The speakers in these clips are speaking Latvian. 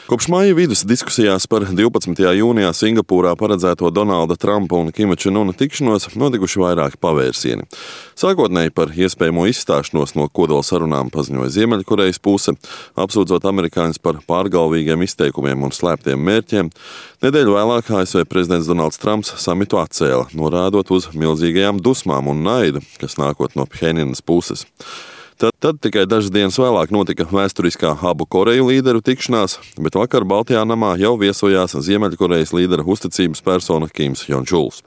Kopš maija vidus diskusijās par 12. jūnijā Singapūrā paredzēto Donalda Trumpa un Kima Čen Una tikšanos notikuši vairāki pavērsieni. Sākotnēji par iespējamo izstāšanos no kodola sarunām paziņoja Ziemeļkorejas puse, apsūdzot amerikāņus par pārgalvīgiem izteikumiem un slēptiem mērķiem. Nedēļu vēlāk ASV prezidents Donalds Trumps samitu atcēla, norādot uz milzīgajām dusmām un naidu, kas nākot no Phenjanas puses. Tad tikai dažas dienas vēlāk notika vēsturiskā abu Koreju līderu tikšanās, bet vakar Baltijā namā jau viesojās Ziemeļkorejas līdera uzticības persona Kims Jong-čuls.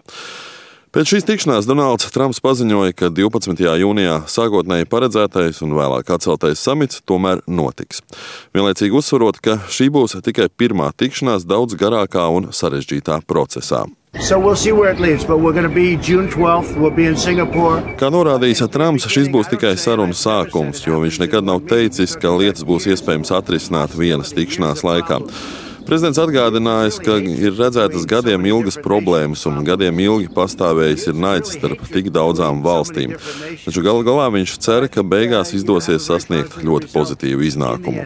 Pēc šīs tikšanās Donalds Trumps paziņoja, ka 12. jūnijā sākotnēji paredzētais un vēlāk atceltais samits tomēr notiks. Vienlaicīgi uzsverot, ka šī būs tikai pirmā tikšanās daudz garākā un sarežģītā procesā. So we'll see where it leads, but we're going to be June 12th, we'll be in Singapore. Kā norādījis Trumps, šis būs tikai sarunu sākums, jo viņš nekad nav teicis, ka lietas būs iespējams atrisināt vienas tikšanās laikā. Prezidents atgādinājis, ka ir redzētas gadiem ilgas problēmas un gadiem ilgi pastāvējis ir naids starp tik daudzām valstīm. Taču galu galā viņš cer, ka beigās izdosies sasniegt ļoti pozitīvu iznākumu.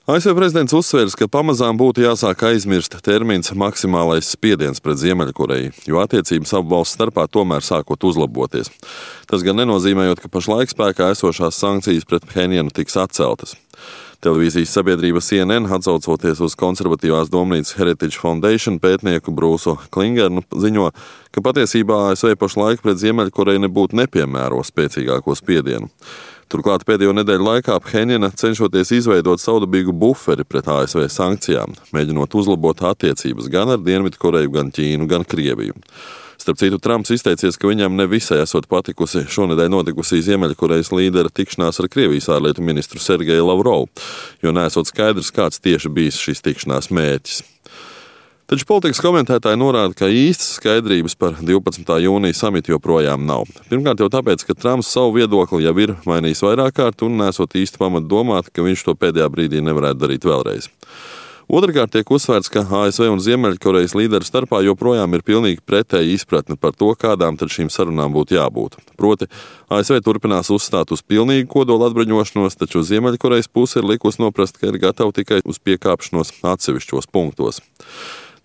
ASV prezidents uzsvērs, ka pamazām būtu jāsāk aizmirst termins maksimālais spiediens pret Ziemeļkoreju, jo attiecības abu valstu starpā tomēr sākot uzlaboties. Tas gan nenozīmējot, ka pašlaik spēkā esošās sankcijas pret Phenjanu tiks atceltas. Televīzijas sabiedrība CNN, atsaucoties uz konservatīvās domnīcas Heritage Foundation pētnieku Brūsu Klingernu, ziņo, ka patiesībā ASV pašlaik pret Ziemeļkoreju nebūtu nepiemēro spēcīgāko spiedienu. Turklāt pēdējo nedēļu laikā Phenjana cenšoties izveidot savdabīgu buferi pret ASV sankcijām, mēģinot uzlabot attiecības gan ar Dienvidkoreju, gan Ķīnu, gan Krieviju. Starp citu, Trumps izteicies, ka viņam nevisai esot patikusi šonedēļ notikusī Ziemeļkorejas līdera tikšanās ar Krievijas ārlietu ministru Sergeju Lavrovu, jo neesot skaidrs, kāds tieši bijis šīs tikšanās mērķis. Taču politikas komentētāji norāda, ka īstas skaidrības par 12. jūnija samitu joprojām nav. Pirmkārt jau tāpēc, ka Trumps savu viedokli jau ir mainījis vairāk kārt un nesot īsti pamatu domāt, ka viņš to pēdējā brīdī nevarētu darīt vēlreiz. Otrkārt tiek uzsvērts, ka ASV un Ziemeļkorejas līderu starpā joprojām ir pilnīgi pretēji izpratne par to, kādām tad šīm sarunām būtu jābūt. Proti, ASV turpinās uzstāt uz pilnīgu kodola atbruņošanos, taču Ziemeļkorejas puse ir likusi noprast, ka ir gatava tikai uz piekāpšanos atsevišķos punktos.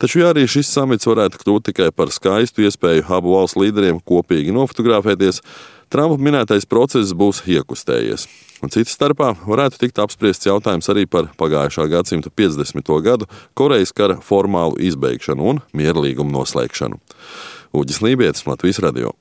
Taču, ja arī šis samits varētu kļūt tikai par skaistu iespēju abu valstu līderiem kopīgi nofotografēties, Trumpa minētais process būs iekustējies. Un citas starpā varētu tikt apspriests jautājums arī par pagājušā gadsimta 50. gadu Korejas kara formālu izbeigšanu un mierlīgumu noslēgšanu. Uģis Lībietis, Latvijas radio.